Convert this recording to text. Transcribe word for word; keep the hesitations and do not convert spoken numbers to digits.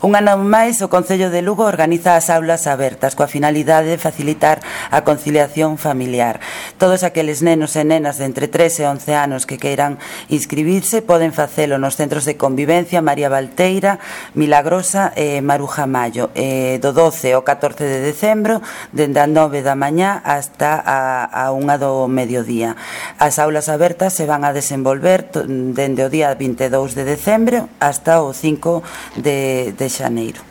Un ano máis, o Concello de Lugo organiza as aulas abertas coa finalidade de facilitar a conciliación familiar. Todos aqueles nenos e nenas de entre tres e once anos que queiran inscribirse poden facelo nos centros de convivencia María Valteira, Milagrosa e Maruja Mayo, eh, do doce ao catorce de decembro, dende a nove da mañá hasta a, a unha do mediodía. As aulas abertas se van a desenvolver dende o día vinte e dous de decembro hasta o cinco de, de xaneiro.